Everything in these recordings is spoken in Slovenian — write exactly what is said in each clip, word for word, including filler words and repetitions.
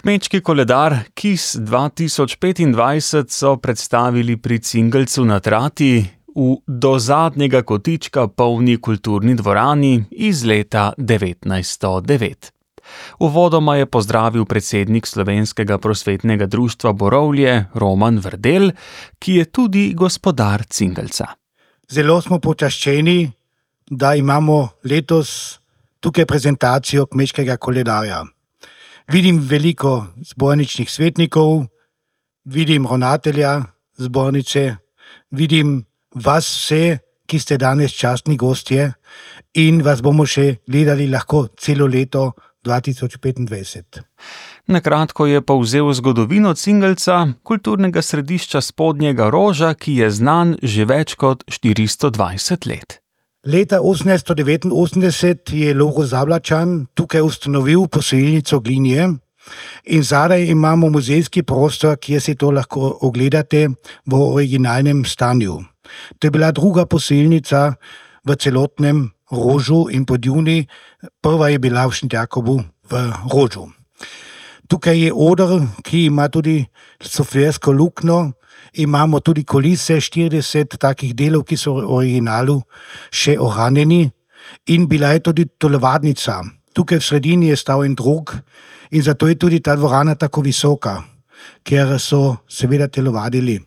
Kmečki koledar Kis dva tisoč petindvajset so predstavili pri Cingelcu na Trati v do zadnjega kotička polni kulturni dvorani iz leta devetnajststo devet. Uvodoma je pozdravil predsednik Slovenskega prosvetnega društva Borovlje Roman Verdel, ki je tudi gospodar Cingelca. Zelo smo počaščeni, da imamo letos tukaj prezentacijo kmečkega koledarja. Vidim veliko zborničnih svetnikov, vidim ravnatelja zbornice, vidim vas vse, ki ste danes častni gostje in vas bomo še gledali lahko celo leto dva tisoč petindvajset. Na kratko je povzel zgodovino Cingelca, kulturnega središča Spodnjega Roža, ki je znan že več kot štiristo dvajset let. Leta osemnajststo devetinosemdeset je Loro Zablačan tukaj ustanovil posojilnico Glinje in zadaj imamo muzejski prostor, kjer si to lahko ogledate v originalnem stanju. To je bila druga posojilnica v celotnem Rožu in Podjuni, prva je bila v Šentjakobu v Rožu. Tukaj je oder, ki ima tudi softversko luknjo, imamo tudi kulise, štirideset takih delov, ki so v originalu še ohranjeni, in bila je tudi telovadnica. Tukaj v sredini je stal en drog in zato je tudi ta dvorana tako visoka, ker so seveda telovadili.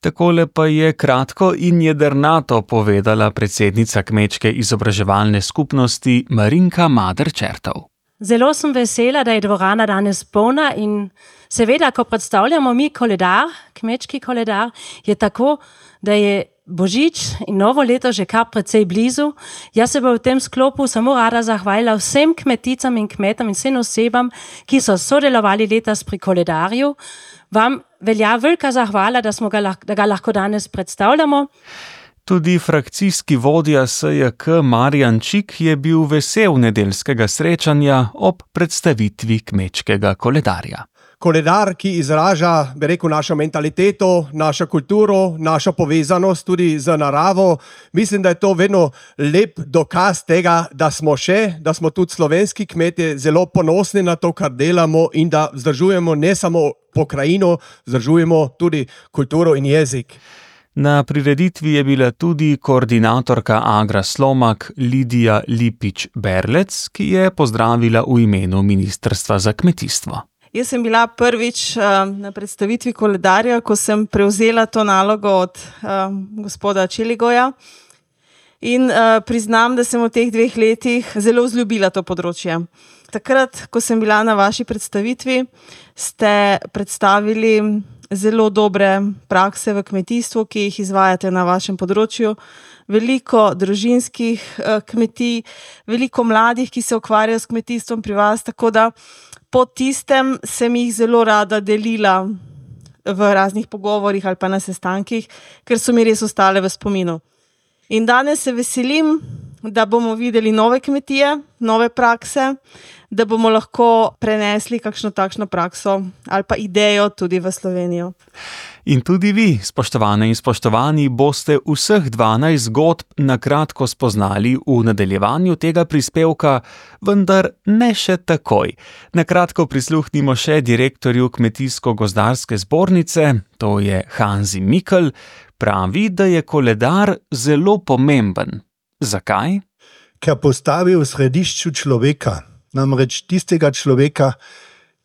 Takole pa je kratko in jedrnato povedala predsednica Kmečke izobraževalne skupnosti Marinka Mader-Čertov. Zelo sem vesela, da je dvorana danes polna in seveda, ko predstavljamo mi koledar, kmečki koledar, je tako, da je Božič in novo leto že kar precej blizu. Jaz se bom v tem sklopu samo rada zahvalila vsem kmeticam in kmetom in vsem osebam, ki so sodelovali letos pri koledarju. Vam velja velika zahvala, da, smo ga, da ga lahko danes predstavljamo. Tudi frakcijski vodja S J K Marjan Čik je bil vesel nedeljskega srečanja ob predstavitvi kmečkega koledarja. Koledar, ki izraža, bi rekel, našo mentaliteto, našo kulturo, našo povezanost tudi z naravo. Mislim, da je to vedno lep dokaz tega, da smo še, da smo tudi slovenski kmetje zelo ponosni na to, kar delamo in da vzdržujemo ne samo pokrajino, vzdržujemo tudi kulturo in jezik. Na prireditvi je bila tudi koordinatorka Agra Slomak Lidija Lipič-Berlec, ki je pozdravila v imenu Ministrstva za kmetijstvo. Jaz sem bila prvič uh, na predstavitvi koledarja, ko sem prevzela to nalogo od uh, gospoda Čeligoja in uh, priznam, da sem v teh dveh letih zelo vzljubila to področje. Takrat, ko sem bila na vaši predstavitvi, ste predstavili zelo dobre prakse v kmetijstvu, ki jih izvajate na vašem področju. Veliko družinskih uh, kmetij, veliko mladih, ki se ukvarjajo s kmetijstvom pri vas, tako da po tistem sem jih zelo rada delila v raznih pogovorih ali pa na sestankih, ker so mi res ostale v spominu. In danes se veselim, da bomo videli nove kmetije, nove prakse, da bomo lahko prenesli kakšno takšno prakso ali pa idejo tudi v Slovenijo. In tudi vi, spoštovane in spoštovani, boste vseh dvanajst zgodb na kratko spoznali v nadaljevanju tega prispevka, vendar ne še takoj. Na kratko prisluhnimo še direktorju Kmetijsko-gozdarske zbornice, to je Hanzi Mikl, pravi, da je koledar zelo pomemben. Zakaj? Ker postavi v središču človeka, namreč tistega človeka,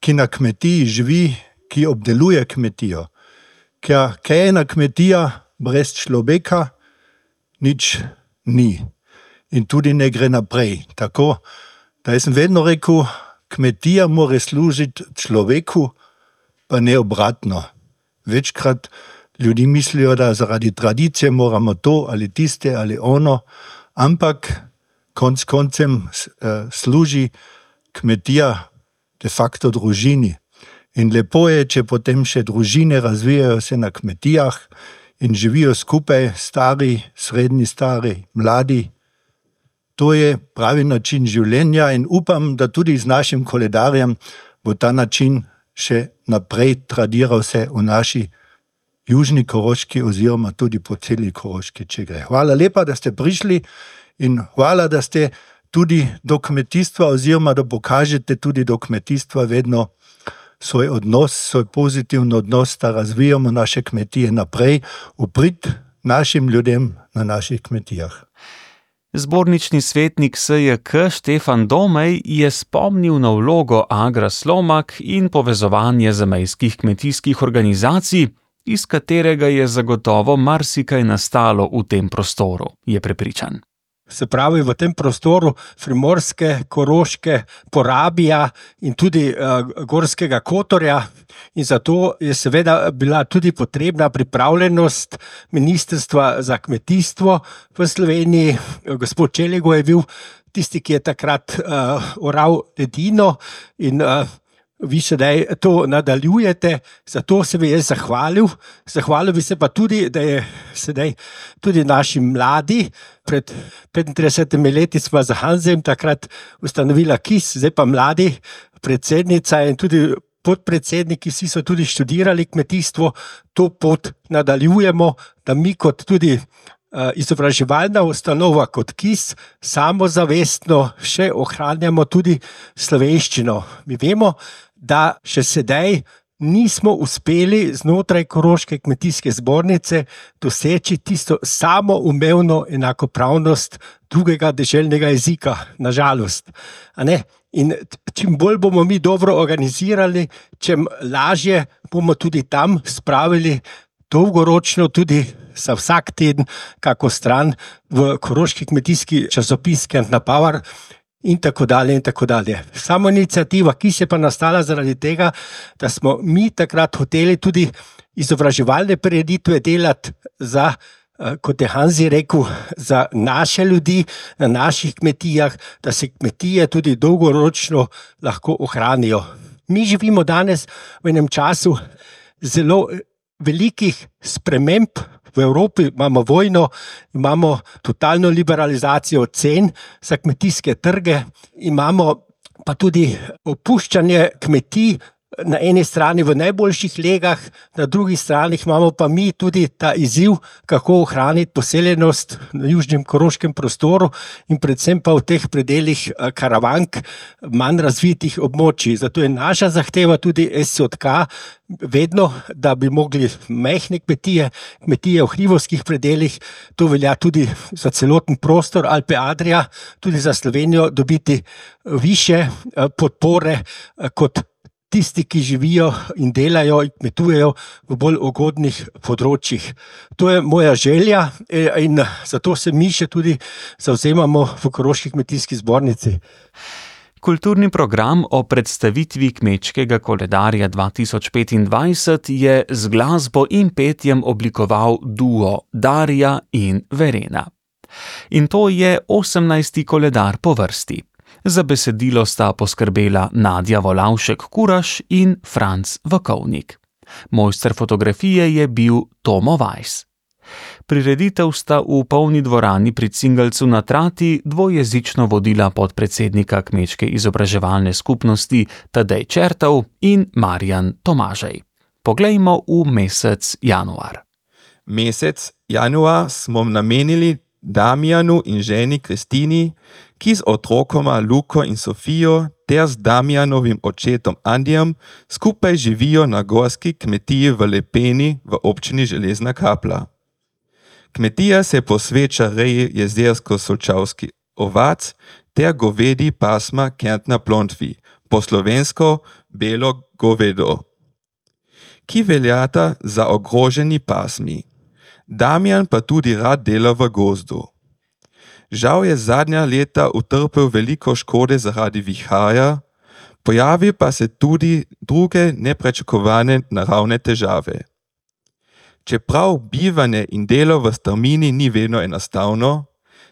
ki na kmetiji živi, ki obdeluje kmetijo. Ker kaj je ena kmetija brez človeka, nič ni. In tudi ne gre naprej. Tako, da jaz sem vedno rekel, kmetija mora služiti človeku, pa ne obratno. Večkrat ljudi mislijo, da zaradi tradicije moramo to ali tiste ali ono, ampak konc koncem uh, služi kmetija de facto družini. In lepo je, če potem še družine razvijajo se na kmetijah in živijo skupaj, stari, srednji stari, mladi. To je pravi način življenja in upam, da tudi z našim koledarjem bo ta način še naprej tradiral se v naši južni Koroški oziroma tudi po celi Koroški, če gre. Hvala lepa, da ste prišli in hvala, da ste tudi do kmetijstva, oziroma da pokažete tudi do kmetijstva vedno svoj odnos, svoj pozitiven odnos, da razvijamo naše kmetije naprej, v prid našim ljudem na naših kmetijah. Zbornični svetnik S J K Štefan Domej je spomnil na vlogo Agra Slomak in povezovanje zamejskih kmetijskih organizacij, iz katerega je zagotovo marsikaj nastalo v tem prostoru, je prepričan. Se pravi, v tem prostoru Primorske, Koroške, Porabija in tudi uh, Gorskega Kotorja, in zato je seveda bila tudi potrebna pripravljenost Ministrstva za kmetijstvo v Sloveniji. Gospod Čeligo je bil tisti, ki je takrat uh, oral edino in uh, vi sedaj to nadaljujete, zato se bi jaz zahvalil. Zahvalil bi se pa tudi, da je sedaj tudi naši mladi, pred petintridesetimi leti smo z Hanzem takrat ustanovila K I S, zdaj pa mladi, predsednica in tudi podpredsedniki, vsi so tudi študirali kmetijstvo, to pot nadaljujemo, da mi kot tudi izobraževalna ustanova kot K I S samozavestno še ohranjamo tudi slovenščino. Mi vemo, da še sedaj nismo uspeli znotraj Koroške kmetijske zbornice doseči tisto samoumevno enakopravnost drugega deželnega jezika, nažalost. A ne? In čim bolj bomo mi dobro organizirali, čim lažje bomo tudi tam spravili dolgoročno tudi za vsak teden kako stran v Koroški kmetijski časopis Kent na Power in tako dalje in tako dalje. Samo iniciativa, ki se pa nastala zaradi tega, da smo mi takrat hoteli tudi izobraževalne prireditve delati za, kot je Hanzi rekel, za naše ljudi na naših kmetijah, da se kmetije tudi dolgoročno lahko ohranijo. Mi živimo danes v enem času zelo velikih sprememb. V Evropi imamo vojno, imamo totalno liberalizacijo cen za kmetijske trge, imamo pa tudi opuščanje kmetij na eni strani v najboljših legah, na drugi strani imamo pa mi tudi ta izziv, kako ohraniti poseljenost na južnem koroškem prostoru in predvsem pa v teh predelih Karavank, manj razvitih območij. Zato je naša zahteva tudi S J K vedno, da bi mogli majhne kmetije, kmetije v hribovskih predelih, to velja tudi za celoten prostor Alpe Adria, tudi za Slovenijo, dobiti više podpore kot tisti, ki živijo in delajo in kmetujejo v bolj ugodnih področjih. To je moja želja in zato se mi še tudi zavzemamo v Koroški kmetijski zbornici. Kulturni program o predstavitvi kmečkega koledarja dva tisoč petindvajset je z glasbo in petjem oblikoval duo Darja in Verena. In to je osemnajsti koledar po vrsti. Za besedilo sta poskrbela Nadja Volavšek-Kuraš in Franc Vakovnik. Mojster fotografije je bil Tomo Weiss. Prireditev sta v polni dvorani pri Cingelcu na Trati dvojezično vodila podpredsednika kmečke izobraževalne skupnosti Tadej Čertov in Marjan Tomažej. Poglejmo v mesec januar. Mesec januar smo namenili Damjanu in ženi Kristini, ki z otrokoma Luko in Sofijo ter z Damjanovim očetom Andijem skupaj živijo na gorski kmetiji v Lepeni v občini Železna Kapla. Kmetija se posveča reji jezersko-solčavski ovac ter govedi pasma Kentna Plontvi, po slovensko belo govedo, ki veljata za ogroženi pasmi. Damjan pa tudi rad dela v gozdu. Žal je zadnja leta utrpel veliko škode zaradi viharja, pojavi pa se tudi druge neprečakovane naravne težave. Čeprav bivanje in delo v strmini ni vedno enostavno,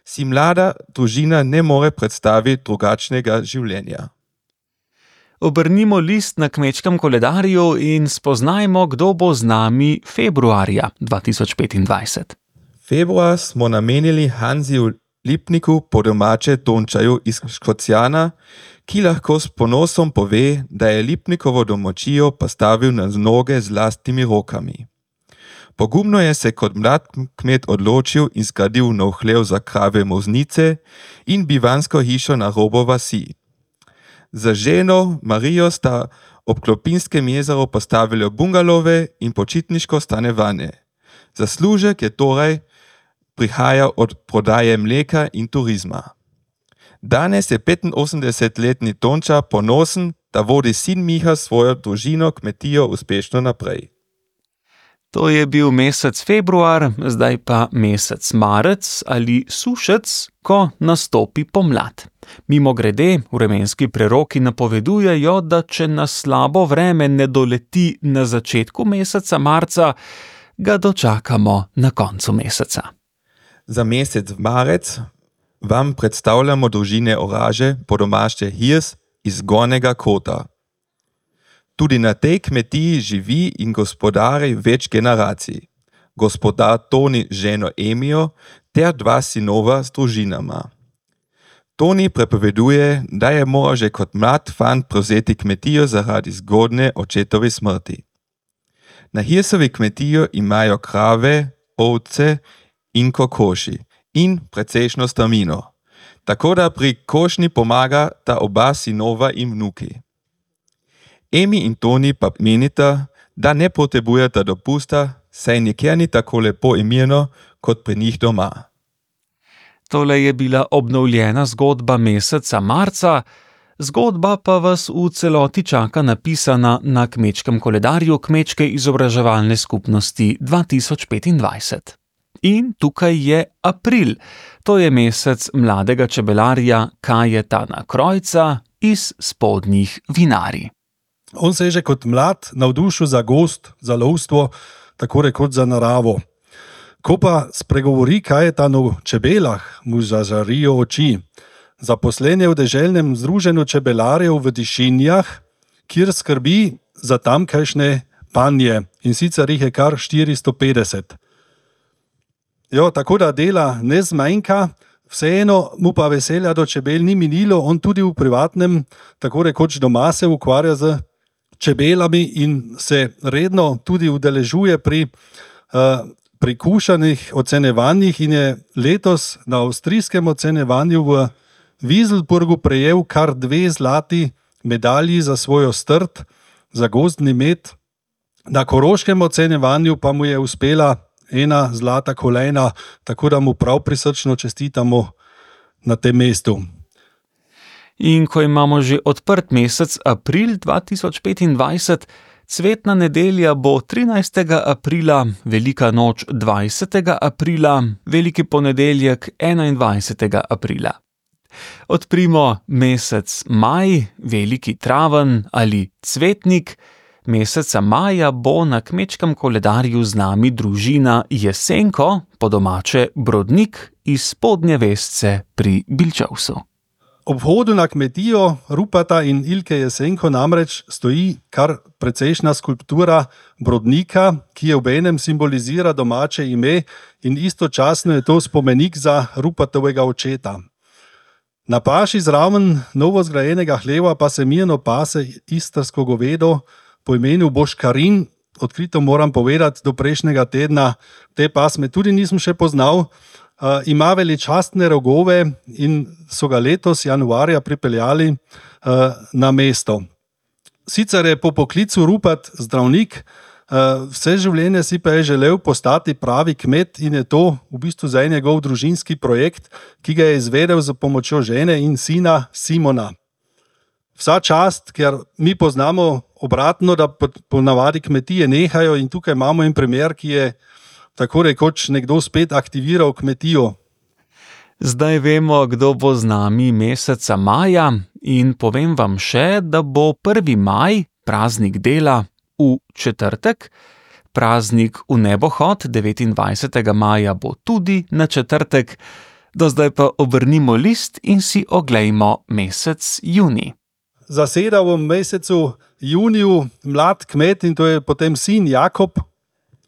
si mlada družina ne more predstaviti drugačnega življenja. Obrnimo list na kmečkem koledarju in spoznajmo, kdo bo z nami februarja dva tisoč petindvajset. Februar smo namenili Hanziju Lipniku, po domače Tončaju iz Škocjana, ki lahko s ponosom pove, da je Lipnikovo domačijo postavil na noge z lastnimi rokami. Pogumno je se kot mlad kmet odločil in zgradil nov hlev za krave moznice in bivansko hišo na robu vasi. Za ženo Marijo sta ob Klopinskem jezeru postavili bungalove in počitniško stanovanje. Zaslužek je torej prihajal od prodaje mleka in turizma. Danes je petinosemdesetletni Tonča ponosen, da vodi sin Miha svojo družino kmetijo uspešno naprej. To je bil mesec februar, zdaj pa mesec marec ali sušec, ko nastopi pomlad. Mimogrede, vremenski preroki napovedujejo, da če nas slabo vreme ne doleti na začetku meseca marca, ga dočakamo na koncu meseca. Za mesec marec vam predstavljamo družine Oraže, po domače Hirs iz Gornjega Kota. Tudi na tej kmetiji živi in gospodari več generacij. Gospodar Toni z ženo Emijo ter dva sinova s družinama. Toni prepoveduje, da je moral že kot mlad fant prevzeti kmetijo zaradi zgodne očetove smrti. Na Hirsovi kmetijo imajo krave, ovce in kokoši in precejšno stamino. Tako da pri košnji pomaga ta oba sinova in vnuki. Emi in Toni pa menita, da ne potrebujeta dopusta, saj nikjer ni tako lepo in mirno kot pri njih doma. Tole je bila obnovljena zgodba meseca marca, zgodba pa vas v celoti čaka napisana na kmečkem koledarju Kmečke izobraževalne skupnosti dva tisoč petindvajset. In tukaj je april, to je mesec mladega čebelarja Kajetana Krojca iz Spodnjih Vinarij. On se je že kot mlad navdušil za gozd, za lovstvo, tako rekoč za naravo. Ko pa spregovori Kajetan o čebelah, mu zažarijo oči. Zaposlen je v deželnem združenju čebelarjev v Dišinjah, kjer skrbi za tamkajšnje panje, in sicer jih je kar štiristo petdeset. Jo, tako da dela ne zmanjka, vseeno mu pa veselja do čebel ni minilo, on tudi v privatnem, tako rekoč doma se ukvarja z čebelami in se redno tudi udeležuje pri uh, pri kušanih ocenjevanjih in je letos na avstrijskem ocenjevanju v Wieselburgu prejel kar dve zlati medalji za svojo strt, za gozdni med. Na koroškem ocenjevanju pa mu je uspela ena zlata kolajna, tako da mu prav prisrčno čestitamo na tem mestu. In ko imamo že odprt mesec april dva tisoč petindvajset, cvetna nedelja bo trinajstega aprila, velika noč dvajsetega aprila, veliki ponedeljek enaindvajsetega aprila. Odprimo mesec maj, veliki traven ali cvetnik. Meseca maja bo na kmečkem koledarju z nami družina Jesenko, po domače Brodnik iz Spodnje Vesce pri Bilčevsu. Ob vhodu na kmetijo Rupata in Ilke Jesenko namreč stoji kar precejšna skulptura Brodnika, ki je obenem simbolizira domače ime in istočasno je to spomenik za Rupatovega očeta. Na paši zraven novo zgrajenega hleva pa se mirno pase istrsko govedo po imenu Boškarin. Odkrito moram povedati, do prejšnjega tedna te pasme tudi nisem še poznal. Uh, ima veličastne rogove in so ga letos januarja pripeljali uh, na mesto. Sicer je po poklicu Rupat zdravnik, uh, vse življenje si pa je želel postati pravi kmet in je to v bistvu zdaj njegov družinski projekt, ki ga je izvedel z pomočjo žene in sina Simona. Vsa čast, ker mi poznamo obratno, da ponavadi kmetije nehajo in tukaj imamo en primer, ki je tako rekoč nekdo spet aktiviral kmetijo. Zdaj vemo, kdo bo z nami meseca maja in povem vam še, da bo prvi maj, praznik dela, v četrtek, praznik v nebohod devetindvajsetega maja bo tudi na četrtek, do zdaj pa obrnimo list in si oglejmo mesec junij. Zaseda v mesecu juniju mlad kmet in to je potem sin Jakob,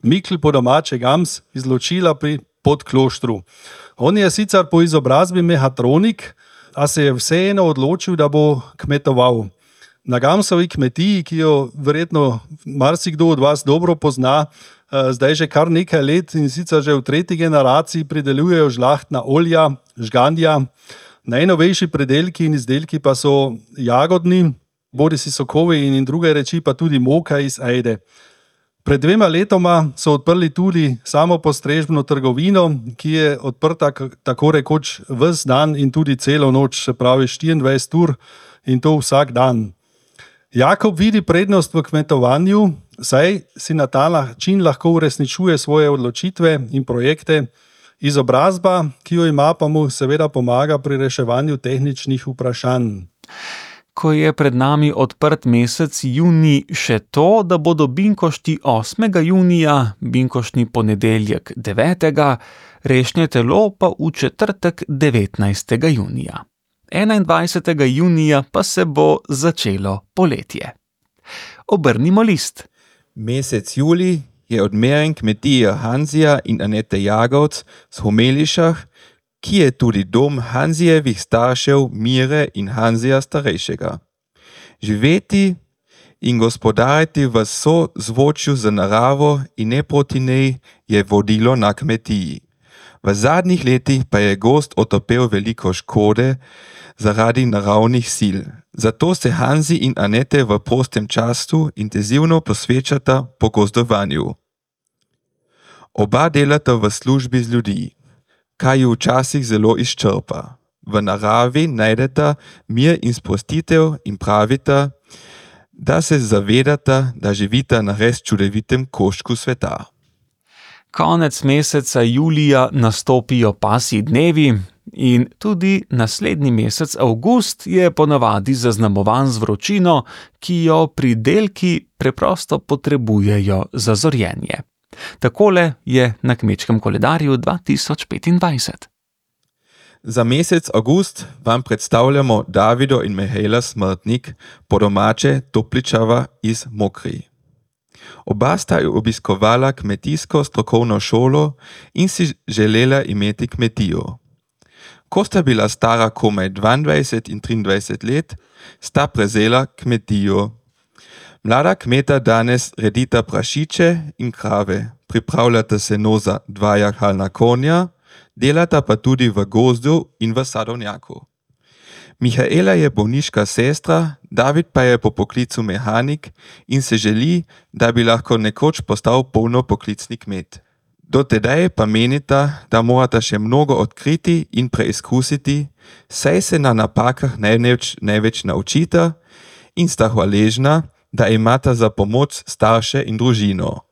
Mikl po domače Gams iz Ločila pri Podkloštru. On je sicer po izobrazbi mehatronik, a se je vseeno odločil, da bo kmetoval. Na Gamsovi kmetiji, ki jo verjetno marsikdo od vas dobro pozna, zdaj že kar nekaj let in sicer že v tretji generaciji pridelujejo žlahtna olja, žgandja. Najnovejši pridelki in izdelki pa so jagodni, bodisi sokovi in druge reči, pa tudi moka iz ajde. Pred dvema letoma so odprli tudi samopostrežbeno trgovino, ki je odprta tako rekoč ves dan in tudi celo noč, se pravi štiriindvajset ur in to vsak dan. Jakob vidi prednost v kmetovanju, saj si na ta način lahko uresničuje svoje odločitve in projekte. Izobrazba, ki jo ima, pa mu seveda pomaga pri reševanju tehničnih vprašanj. Ko je pred nami odprt mesec junij, še to, da bodo binkošti osmega junija, binkoštni ponedeljek devetega, rešnje telo pa v četrtek devetnajstega junija. enaindvajsetega junija pa se bo začelo poletje. Obrnimo list. Mesec julij je odmeren kmetije Hanzija in Anete Jagovc z Homelišah, ki je tudi dom Hanzijevih staršev Mire in Hanzija starejšega. Živeti in gospodariti v sozvočju z naravo in ne proti njej je vodilo na kmetiji. V zadnjih letih pa je gozd otopel veliko škode zaradi naravnih sil. Zato se Hanzi in Anete v prostem času intenzivno posvečata pogozdovanju. Oba delata v službi z ljudi, kaj ju včasih zelo izčrpa. V naravi najdeta mir in sprostitev in pravita, da se zavedata, da živita na res čudovitem koščku sveta. Konec meseca julija nastopijo pasji dnevi in tudi naslednji mesec avgust je ponavadi zaznamovan z vročino, ki jo pridelki preprosto potrebujejo za zorjenje. Takole je na kmečkem koledarju dva tisoč petindvajset. Za mesec avgust vam predstavljamo Davido in Mihaela Smrtnik, po domače Topličava iz Mokri. Oba sta obiskovala kmetijsko strokovno šolo in si želela imeti kmetijo. Ko sta bila stara komaj dvaindvajset in triindvajset let, sta prevzela kmetijo. Mlada kmeta danes redita prašiče in krave, pripravljata seno za dva jahalna konja, delata pa tudi v gozdu in v sadovnjaku. Mihaela je bolniška sestra, David pa je po poklicu mehanik in se želi, da bi lahko nekoč postal polnopoklicni kmet. Do tedaj pa menita, da morata še mnogo odkriti in preizkusiti, saj se na napakah največ, največ naučita in sta hvaležna, da imata za pomoč starše in družino.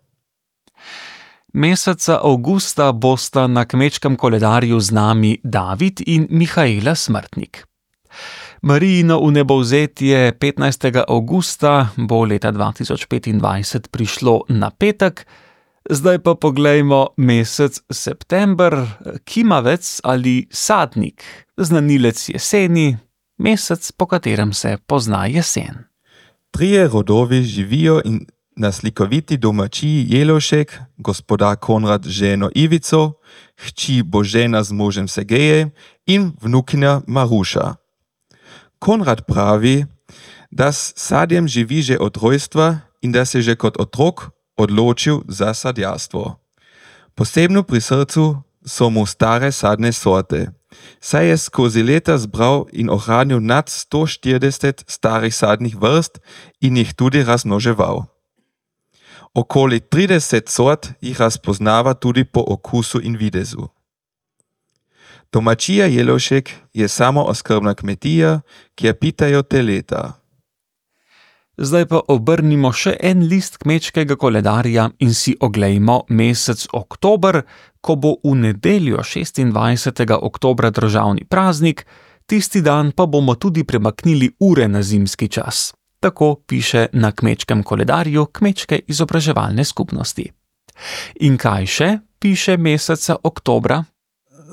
Meseca avgusta bosta na kmečkem koledarju z nami David in Mihaela Smrtnik. Marijino vnebovzetje petnajstega avgusta bo leta dva tisoč petindvajset prišlo na petek, zdaj pa poglejmo mesec september, kimavec ali sadnik, znanilec jeseni, mesec, po katerem se pozna jesen. Trije rodovi živijo in na slikoviti domačiji Jelošek, gospodar Konrad z ženo Ivico, hči Božena z možem Sergejem in vnukinja Maruša. Konrad pravi, da s sadjem živi že od rojstva in da se že kot otrok odločil za sadjarstvo. Posebno pri srcu so mu stare sadne sorte, saj je skozi leta zbral in ohranil nad sto štirideset starih sadnih vrst in jih tudi razmnoževal. Okoli trideset sort jih razpoznava tudi po okusu in videzu. Domačija Jelošek je samooskrbna kmetija, ki je pitajo te leta. Zdaj pa obrnimo še en list kmečkega koledarja in si oglejmo mesec oktober, ko bo v nedeljo šestindvajsetega oktobra državni praznik, tisti dan pa bomo tudi premaknili ure na zimski čas. Tako piše na kmečkem koledarju Kmečke izobraževalne skupnosti. In kaj še piše meseca oktobra?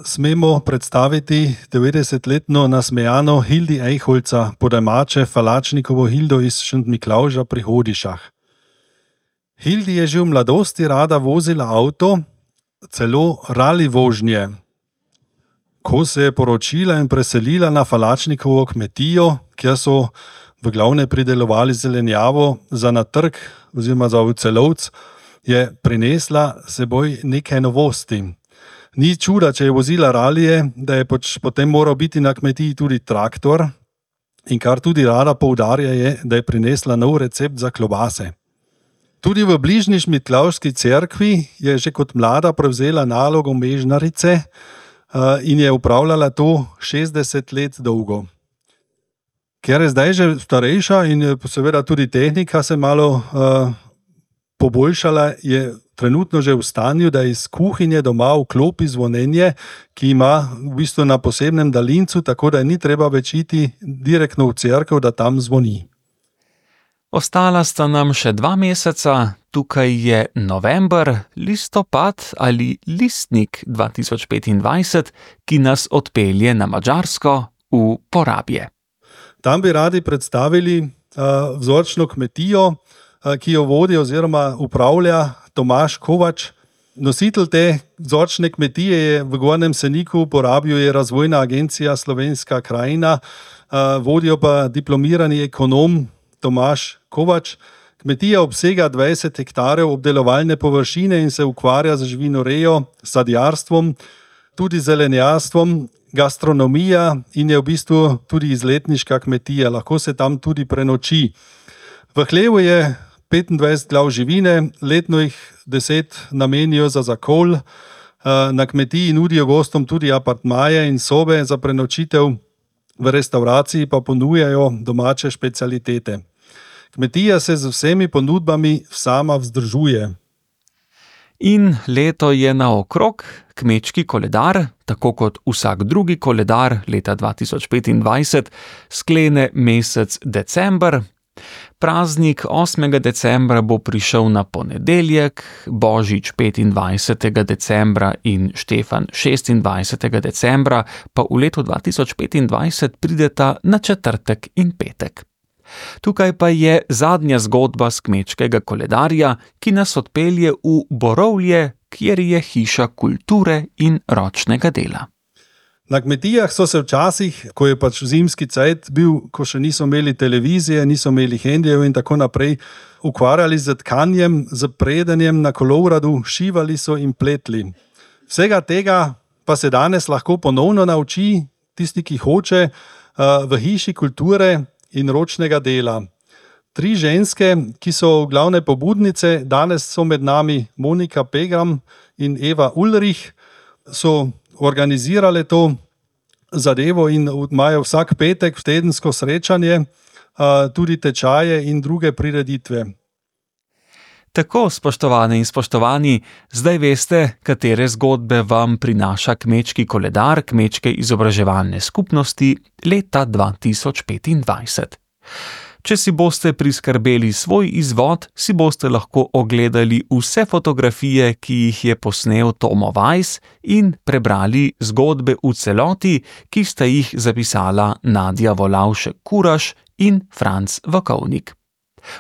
Smemo predstaviti devetdesetletno nasmejano Hildi Ejholca, po domače Falačnikovo Hildo iz Šent Miklavža pri Hodišah. Hildi je že v mladosti rada vozila avto, celo rali vožnje. Ko se je poročila in preselila na Falačnikovo kmetijo, kjer so v glavne pridelovali zelenjavo za na trg oziroma za v celovc, je prinesla seboj nekaj novosti. Ni čuda, če je vozila ralije, da je pač potem moral biti na kmetiji tudi traktor in kar tudi rada poudarja je, da je prinesla nov recept za klobase. Tudi v bližnji Šmitlavški cerkvi je že kot mlada prevzela nalogo mežnarice in je upravljala to šestdeset let dolgo. Ker je zdaj že starejša in je seveda tudi tehnika se malo uh, poboljšala, je trenutno že v stanju, da iz kuhinje doma vklopi zvonjenje, ki ima v bistvu na posebnem daljincu, tako da ni treba več iti direktno v cerkev, da tam zvoni. Ostala sta nam še dva meseca, tukaj je november, listopad ali listnik dva tisoč petindvajset, ki nas odpelje na Madžarsko v Porabje. Tam bi radi predstavili uh, vzorčno kmetijo, uh, ki jo vodi oziroma upravlja Tomaž Kovač. Nositelj te vzorčne kmetije je v Gornjem Seniku, v Porabju je Razvojna agencija Slovenska krajina, uh, vodijo pa diplomirani ekonom Tomaž Kovač. Kmetija obsega dvajset hektarjev obdelovalne površine in se ukvarja z živinorejo, sadjarstvom, tudi zelenjastvom, gastronomija in je v bistvu tudi izletniška kmetija. Lahko se tam tudi prenoči. V hlevu je petindvajset glav živine, letno jih deset namenijo za zakol. Na kmetiji nudijo gostom tudi apartmaje in sobe za prenočitev, v restavraciji pa ponujajo domače specialitete. Kmetija se z vsemi ponudbami sama vzdržuje. In leto je naokrog, kmečki koledar, tako kot vsak drugi koledar leta dva tisoč petindvajset, sklene mesec december. Praznik osmega decembra bo prišel na ponedeljek, Božič petindvajsetega decembra in Štefan šestindvajsetega decembra pa v letu dva tisoč petindvajset prideta na četrtek in petek. Tukaj pa je zadnja zgodba s kmečkega koledarja, ki nas odpelje v Borovlje, kjer je hiša kulture in ročnega dela. Na kmetijah so se včasih, ko je pač zimski cajt bil, ko še niso imeli televizije, niso imeli hendijev in tako naprej, ukvarjali z tkanjem, z predanjem na kolovradu, šivali so in pletli. Vsega tega pa se danes lahko ponovno nauči tisti, ki hoče, v hiši kulture in ročnega dela. Tri ženske, ki so glavne pobudnice, danes so med nami Monika Pegram in Eva Ulrich, so organizirale to zadevo in imajo vsak petek v tedensko srečanje, tudi tečaje in druge prireditve. Tako, spoštovane in spoštovani, zdaj veste, katere zgodbe vam prinaša kmečki koledar Kmečke izobraževalne skupnosti leta dva tisoč petindvajset. Če si boste priskrbeli svoj izvod, si boste lahko ogledali vse fotografije, ki jih je posnel Tomo Weiss in prebrali zgodbe v celoti, ki sta jih zapisala Nadja Volavšek-Kuraš in Franc Vakovnik.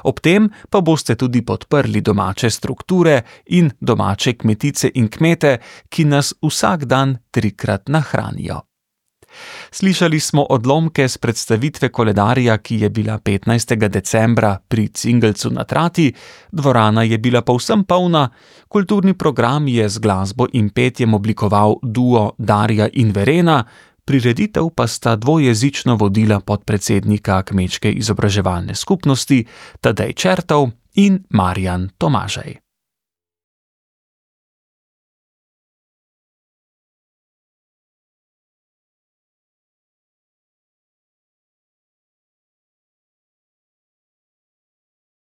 Ob tem pa boste tudi podprli domače strukture in domače kmetice in kmete, ki nas vsak dan trikrat nahranijo. Slišali smo odlomke s predstavitve koledarja, ki je bila petnajstega decembra pri Cingelcu na Trati, dvorana je bila povsem polna, kulturni program je z glasbo in petjem oblikoval duo Darja in Verena, prireditev pa sta dvojezično vodila podpredsednika Kmečke izobraževalne skupnosti Tadej Čertov in Marjan Tomažej.